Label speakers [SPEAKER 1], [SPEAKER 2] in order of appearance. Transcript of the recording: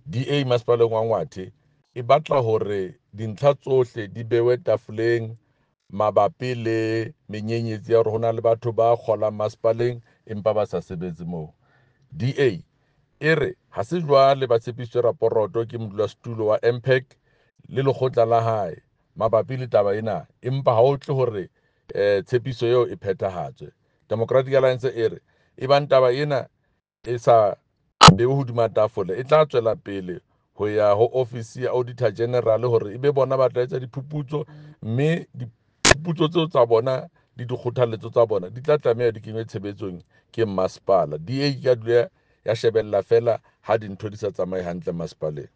[SPEAKER 1] DA masepaleng wa Ngwathe e batla hore dintlha tsohle di bewe tafoleng mabapi le menyenyetsi ya hore ho na le batho ba kgolang masepaleng empa ba sa sebetse moo. DA e re ha se jwale ba tshepisitswe raporoto ke modulasetulo wa MPAC le lekgotla la hae mabapi le taba ena, empa ha o tle hore tshepiso eo e phethahatswe. Democratic Alliance e re ebang taba ena e sa bewe hodima tafole, e tla tswela pele ho ya ho ofisi ya Auditor General hore ebe bona ba tla etsa diphuputso, mme diphuputso tseo tsa bona le dikgothaletso tsa bona di tla tlameha di kenywe tshebetsong ke masepala. DA ka dula ya shebella fela ha dintho di sa tsamaye hantle masepaleng.